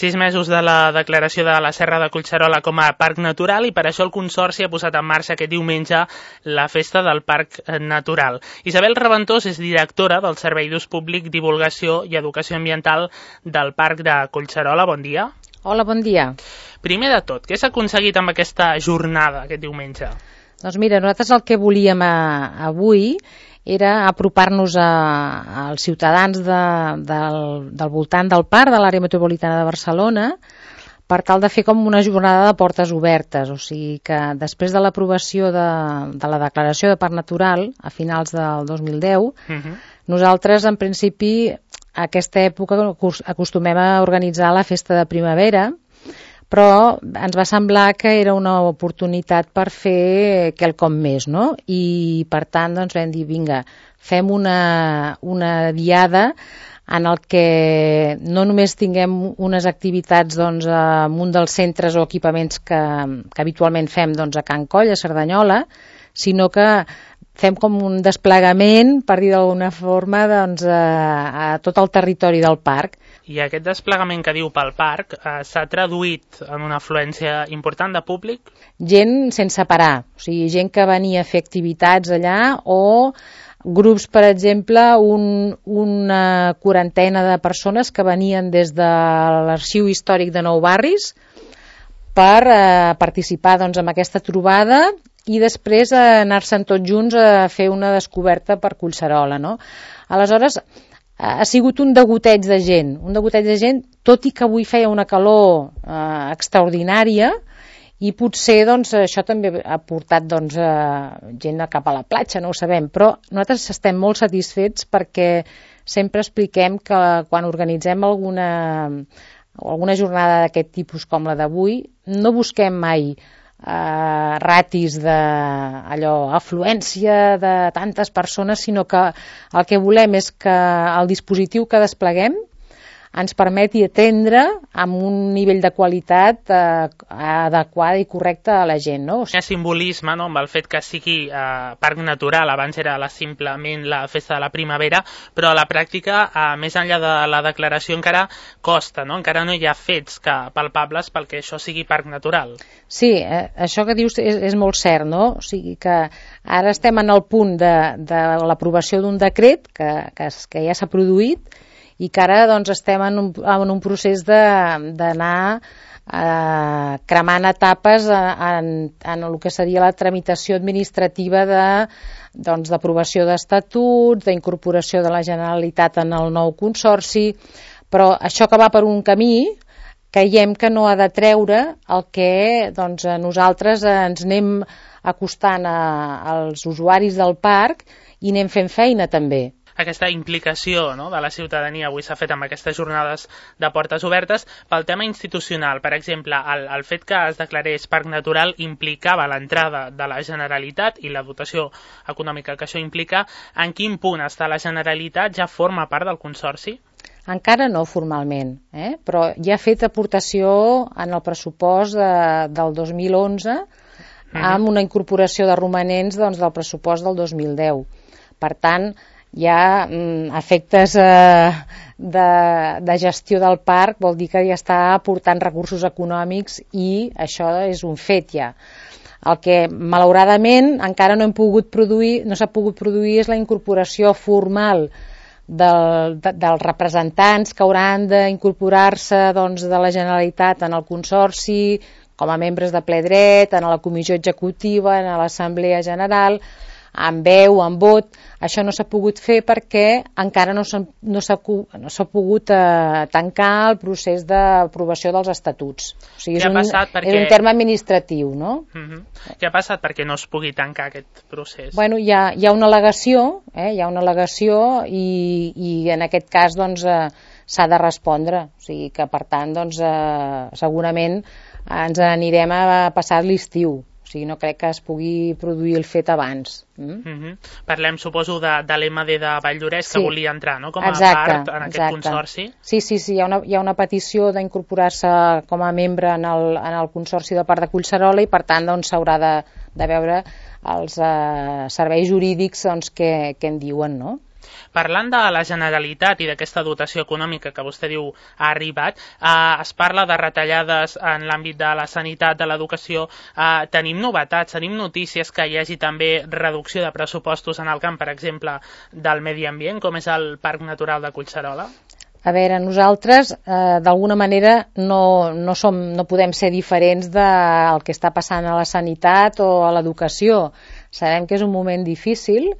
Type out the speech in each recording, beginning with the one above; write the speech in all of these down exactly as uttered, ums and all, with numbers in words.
Sis mesos de la declaració de la Serra de Collserola com a parc natural i per això el Consorci ha posat en marxa aquest diumenge la festa del Parc Natural. Isabel Reventós és directora del Servei d'Ús Públic, Divulgació i Educació Ambiental del Parc de Collserola. Bon dia. Hola, bon dia. Primer de tot, què s'ha aconseguit amb aquesta jornada aquest diumenge? Doncs mira, nosaltres el que volíem a, avui era apropar-nos als ciutadans de, del, del voltant del parc, de l'àrea metropolitana de Barcelona, per tal de fer com una jornada de portes obertes. O sigui que després de l'aprovació de, de la declaració de parc natural, a finals del dos mil deu, uh-huh. nosaltres, en principi, a aquesta època acostumem a organitzar la festa de primavera, però ens va semblar que era una oportunitat per fer quelcom més, no? I per tant doncs vam dir, vinga, fem una, una diada en el que no només tinguem unes activitats doncs, en un dels centres o equipaments que, que habitualment fem doncs, a Can Coll, a Cerdanyola, sinó que fem com un desplegament, per dir d'alguna forma, doncs, a, a tot el territori del parc. I aquest desplegament que diu pel parc eh, s'ha traduït en una afluència important de públic? Gent sense parar, o sigui, gent que venia a fer activitats allà o grups, per exemple, un, una quarantena de persones que venien des de l'Arxiu Històric de Nou Barris per eh, participar doncs, en aquesta trobada i després eh, anar-se'n tots junts a fer una descoberta per Collserola, no? Aleshores, ha sigut un degoteig de gent, un degoteig de gent, tot i que avui feia una calor eh, extraordinària i potser doncs, això també ha portat doncs, eh, gent cap a la platja, no ho sabem, però nosaltres estem molt satisfets perquè sempre expliquem que quan organitzem alguna, alguna jornada d'aquest tipus com la d'avui, no busquem mai Uh, ratis de allò, afluència de tantes persones, sinó que el que volem és que el dispositiu que despleguem ens permeti atendre amb un nivell de qualitat eh, adequada i correcta a la gent, no? O sigui... Hi ha simbolisme, no?, amb el fet que sigui eh, parc natural, abans era la, simplement la festa de la primavera, però a la pràctica, eh, més enllà de la declaració, encara costa, no? Encara no hi ha fets que, palpables perquè això sigui parc natural. Sí, eh, això que dius és, és molt cert, no? O sigui que ara estem en el punt de, de l'aprovació d'un decret que, que, que ja s'ha produït i que ara doncs, estem en un, en un procés d'anar eh, cremant etapes en, en el que seria la tramitació administrativa de, doncs, d'aprovació d'estatuts, d'incorporació de la Generalitat en el nou consorci, però això que va per un camí creiem que no ha de treure el que doncs, nosaltres ens anem acostant a, als usuaris del parc i anem fent feina també. Aquesta implicació, no?, de la ciutadania avui s'ha fet amb aquestes jornades de portes obertes. Pel tema institucional, per exemple, el, el fet que es declarés parc natural implicava l'entrada de la Generalitat i la dotació econòmica que això implica. En quin punt està la Generalitat? Ja forma part del Consorci? Encara no formalment, eh? Però ja ha fet aportació en el pressupost de, del dos mil onze amb una incorporació de romanents doncs, del pressupost del dos mil deu. Per tant, hi ha mm, efectes eh, de, de gestió del parc, vol dir que ja està aportant recursos econòmics i això és un fet ja. El que malauradament encara no hem pogut produir, no s'ha pogut produir és la incorporació formal del, de, dels representants que hauran d'incorporar-se doncs, de la Generalitat en el Consorci com a membres de ple dret, en la comissió executiva, en l'Assemblea General, amb veu, amb vot. Això no s'ha pogut fer perquè encara no s'ha no no pogut eh, tancar el procés d'aprovació dels estatuts. O sigui, és, un, perquè... és un terme administratiu, no? Uh-huh. Què ha passat perquè no es pugui tancar aquest procés? Bueno, hi ha, hi ha una al·legació, eh? hi ha una al·legació i, i en aquest cas doncs, eh, s'ha de respondre. O sigui que, per tant, doncs, eh, segurament ens anirem a passar l'estiu. O sigui, no crec que es pugui produir el fet abans. Mm? Uh-huh. Parlem, suposo, de, de l'M D de Valldoreix, sí, que volia entrar, no?, com a exacte, part en aquest exacte. consorci. Sí, sí, sí, hi ha una, hi ha una petició d'incorporar-se com a membre en el, en el consorci de Parc de Collserola i, per tant, doncs, s'haurà de, de veure els eh, serveis jurídics doncs, que, que en diuen, no? Parlant de la Generalitat i d'aquesta dotació econòmica que vostè diu ha arribat, eh, es parla de retallades en l'àmbit de la sanitat, de l'educació. Eh, tenim novetats, tenim notícies que hi hagi també reducció de pressupostos en el camp, per exemple, del medi ambient, com és el Parc Natural de Collserola? A veure, nosaltres eh, d'alguna manera no, no, som, no podem ser diferents del que està passant a la sanitat o a l'educació. Sabem que és un moment difícil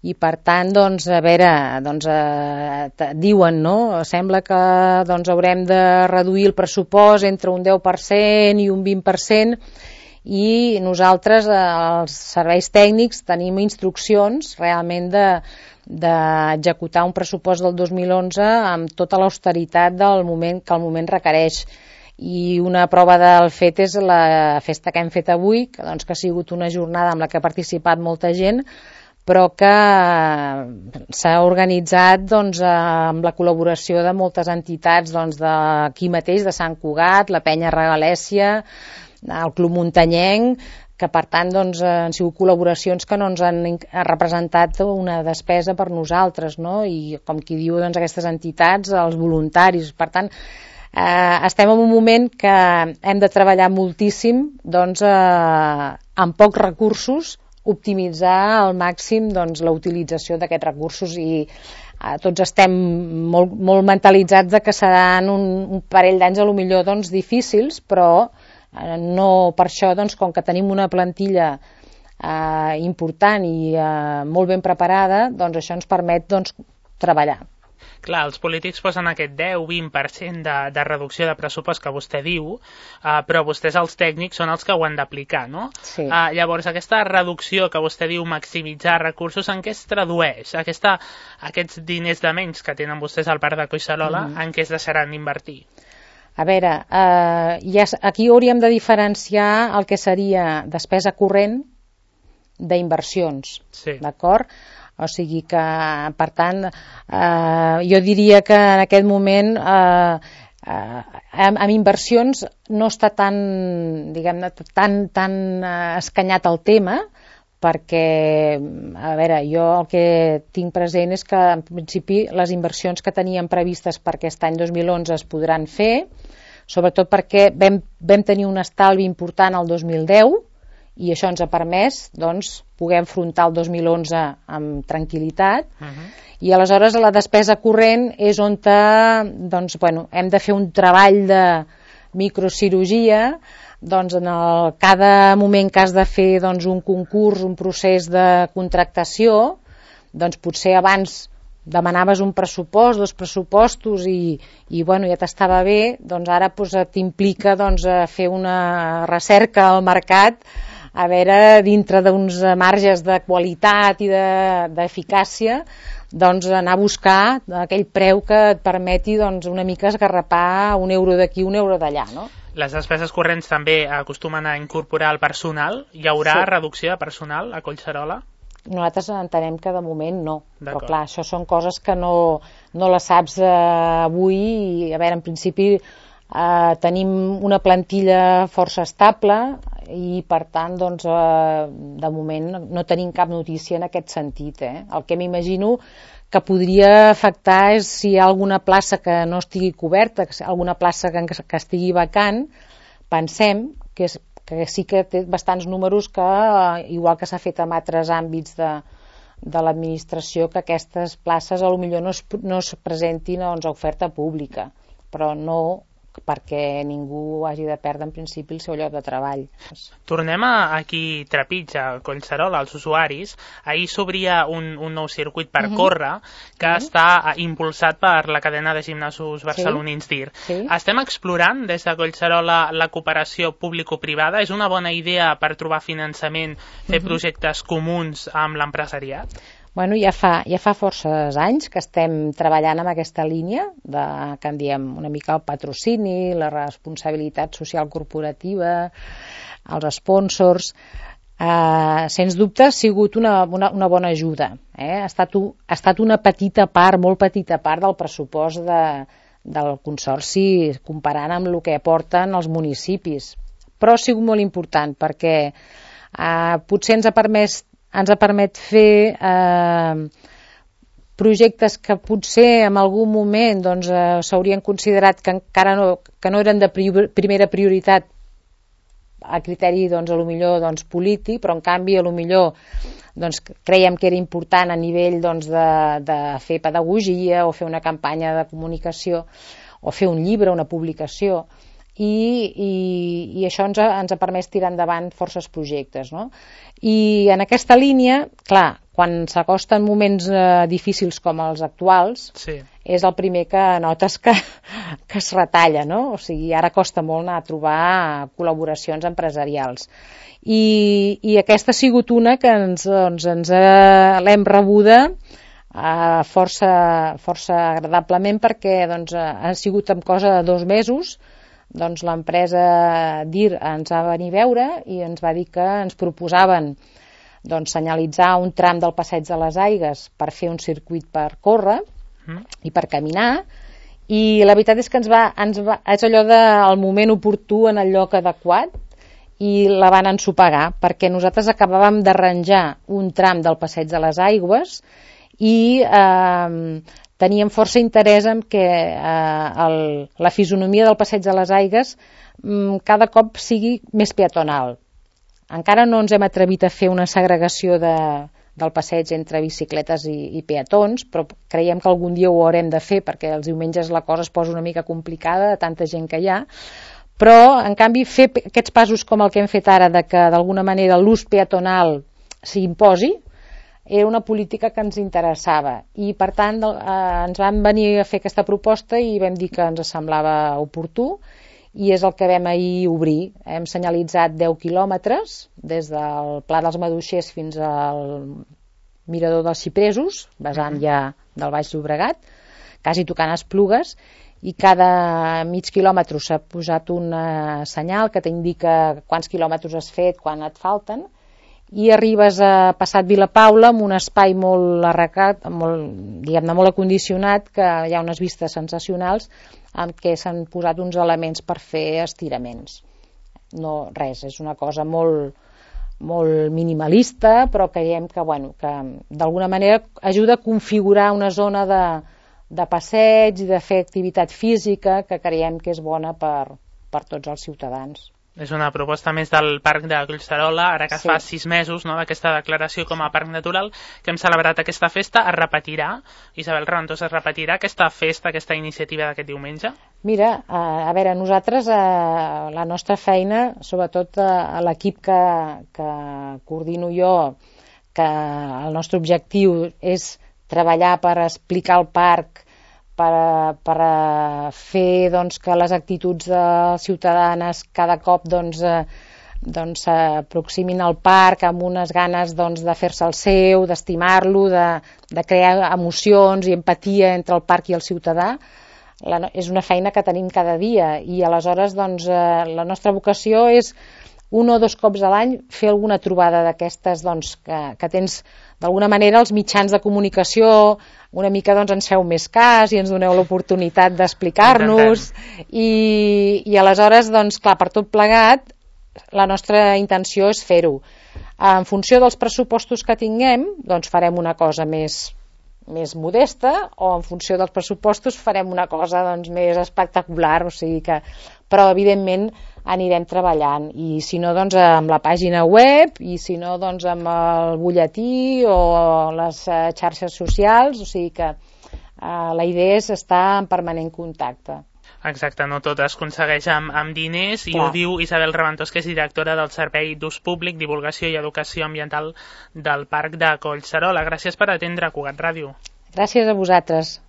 i per tant, doncs, a veure, doncs, eh, diuen, no? Sembla que doncs, haurem de reduir el pressupost entre un deu per cent i un vint per cent i nosaltres, eh, els serveis tècnics, tenim instruccions realment de d'executar un pressupost del dos mil onze amb tota l'austeritat del moment que el moment requereix. I una prova del fet és la festa que hem fet avui, que, doncs, que ha sigut una jornada amb la que ha participat molta gent, però que s'ha organitzat doncs, amb la col·laboració de moltes entitats doncs, d'aquí mateix, de Sant Cugat, la Penya Regalèsia, el Club Muntanyenc, que per tant doncs, han sigut col·laboracions que no ens han representat una despesa per nosaltres, no? I com qui diu, doncs, aquestes entitats, els voluntaris. Per tant, eh, estem en un moment que hem de treballar moltíssim doncs, eh, amb pocs recursos, optimitzar al màxim doncs, la utilització d'aquests recursos i eh, tots estem molt, molt mentalitzats de que seran un, un parell d'anys a lo millor doncs, difícils, però no per això, doncs, com que tenim una plantilla eh, important i eh, molt ben preparada, doncs això ens permet doncs, treballar. Clar, els polítics posen aquest deu a vint per cent de, de reducció de pressupost que vostè diu, eh, però vostès, els tècnics, són els que ho han d'aplicar, no? Sí. Eh, llavors, aquesta reducció que vostè diu maximitzar recursos, en què es tradueix? Aquesta, aquests diners de menys que tenen vostès al Parc de Collserola, mm-hmm. en què es deixaran invertir? A veure, eh, ja, aquí hauríem de diferenciar el que seria despesa corrent d'inversions, sí. D'acord? O sigui que, per tant, eh, jo diria que en aquest moment eh, eh, amb, amb inversions no està tan, diguem-ne, tan, tan eh, escanyat el tema, perquè, a veure, jo el que tinc present és que, en principi, les inversions que teníem previstes per aquest any dos mil onze es podran fer, sobretot perquè vam, vam tenir un estalvi important el dos mil deu i això ens ha permès doncs, poder enfrontar el dos mil onze amb tranquil·litat. Uh-huh. I aleshores la despesa corrent és on te, doncs, bueno, hem de fer un treball de microcirurgia. Doncs en el, cada moment que has de fer doncs, un concurs, un procés de contractació, doncs potser abans demanaves un pressupost, dos pressupostos i, i bueno, ja t'estava bé, doncs ara doncs, t'implica doncs, fer una recerca al mercat, a veure, dintre d'uns marges de qualitat i d'eficàcia, de, doncs anar a buscar aquell preu que et permeti doncs, una mica esgarrapar un euro d'aquí, un euro d'allà, no? Les despeses corrents també acostumen a incorporar el personal. Hi haurà sí. reducció de personal a Collserola? Nosaltres entenem que de moment no, però clar, això són coses que no, no les saps eh, avui i a veure, en principi eh, tenim una plantilla força estable i per tant doncs, eh, de moment no tenim cap notícia en aquest sentit. Eh? El que m'imagino que podria afectar és si hi ha alguna plaça que no estigui coberta, alguna plaça que, que estigui vacant, pensem que, és, que sí que té bastants números que, igual que s'ha fet en altres àmbits de, de l'administració, que aquestes places a lo millor no es, no es presentin doncs, a oferta pública, però no perquè ningú hagi de perdre en principi el seu lloc de treball. Tornem a aquí trepitja, Collserola, als usuaris. Ahir s'obria un, un nou circuit per uh-huh. córrer que uh-huh. està impulsat per la cadena de gimnasos barcelonins sí. D I R. Sí. Estem explorant des de Collserola la cooperació público-privada. És una bona idea per trobar finançament, fer uh-huh. projectes comuns amb l'empresariat? Bueno, ja fa, ja fa forces anys que estem treballant amb aquesta línia de, que en diem una mica el patrocini, la responsabilitat social corporativa, els sponsors. Eh, sens dubte ha sigut una, una, una bona ajuda. Eh? Ha, estat, ha estat una petita part, molt petita part del pressupost de, del Consorci comparant amb el que aporten els municipis. Però ha sigut molt important perquè eh, potser ens ha permès ens ha permet fer eh, projectes que potser en algun moment doncs, eh, s'haurien considerat que encara no, que no eren de prior, primera prioritat a criteri doncs, a lo millor doncs, polític, però en canvi a lo millor doncs, creiem que era important a nivell doncs, de, de fer pedagogia o fer una campanya de comunicació o fer un llibre, una publicació, i, i, i això ens ha, ens ha permès tirar endavant forces projectes, no? I en aquesta línia, clar, quan s'acosten moments eh, difícils com els actuals, sí. És el primer que notes que, que es retalla, no? O sigui, ara costa molt anar a trobar col·laboracions empresarials. I, i aquesta ha sigut una que ens, doncs, ens ha, l'hem rebuda eh, força, força agradablement perquè doncs, ha sigut en cosa de dos mesos. Doncs l'empresa D I R ens va venir a veure i ens va dir que ens proposaven doncs, senyalitzar un tram del Passeig de les Aigues per fer un circuit per córrer mm. i per caminar, i la veritat és que ens va, ens va, és allò del moment oportú en el lloc adequat, i la van ensopegar perquè nosaltres acabàvem d'arranjar un tram del Passeig de les Aigües i eh, teníem força interès en que eh, el, la fisonomia del Passeig de les Aigues mm, cada cop sigui més peatonal. Encara no ens hem atrevit a fer una segregació de, del passeig entre bicicletes i, i peatons, però creiem que algun dia ho haurem de fer perquè els diumenges la cosa es posa una mica complicada de tanta gent que hi ha, però en canvi fer aquests passos com el que hem fet ara de que d'alguna manera l'ús peatonal s'imposi era una política que ens interessava i per tant eh, ens van venir a fer aquesta proposta i vam dir que ens semblava oportú i és el que vam ahir obrir. Hem senyalitzat deu quilòmetres des del Pla dels Maduixers fins al Mirador dels Xipresos, vessant ja del Baix Llobregat, quasi tocant Esplugues, i cada mig quilòmetre s'ha posat un senyal que t'indica quants quilòmetres has fet, quan et falten, i arribes a Passat Vilapaula amb un espai molt arrecat, molt, diguem-ne, molt acondicionat, que hi ha unes vistes sensacionals amb què s'han posat uns elements per fer estiraments. No, res, és una cosa molt, molt minimalista, però creiem que, bueno, que d'alguna manera ajuda a configurar una zona de, de passeig i de fer activitat física que creiem que és bona per, per tots els ciutadans. És una proposta més del Parc de Collserola, ara que sí. Fa sis mesos no, d'aquesta declaració com a parc natural, que hem celebrat aquesta festa. Es repetirà, Isabel Raventós, es repetirà aquesta festa, aquesta iniciativa d'aquest diumenge? Mira, a veure, nosaltres, la nostra feina, sobretot a l'equip que, que coordino jo, que el nostre objectiu és treballar per explicar el parc, per, per fer doncs, que les actituds de ciutadanes cada cop doncs, doncs, s'aproximin al parc amb unes ganes doncs, de fer-se el seu, d'estimar-lo, de, de crear emocions i empatia entre el parc i el ciutadà. La, és una feina que tenim cada dia i aleshores doncs, la nostra vocació és un o dos cops a l'any fer alguna trobada d'aquestes doncs, que, que tens d'alguna manera els mitjans de comunicació una mica doncs, ens feu més cas i ens doneu l'oportunitat d'explicar-nos i, i aleshores doncs, clar, per tot plegat la nostra intenció és fer-ho en funció dels pressupostos que tinguem doncs farem una cosa més més modesta o en funció dels pressupostos farem una cosa doncs, més espectacular, o sigui que però evidentment anirem treballant i si no doncs amb la pàgina web i si no doncs amb el butlletí o les xarxes socials, o sigui que eh, la idea és estar en permanent contacte. Exacte, no tot es aconsegueix amb, amb diners i Clar. Ho diu Isabel Raventós, que és directora del Servei d'Ús Públic, Divulgació i Educació Ambiental del Parc de Collserola. Gràcies per atendre Cugat Ràdio. Gràcies a vosaltres.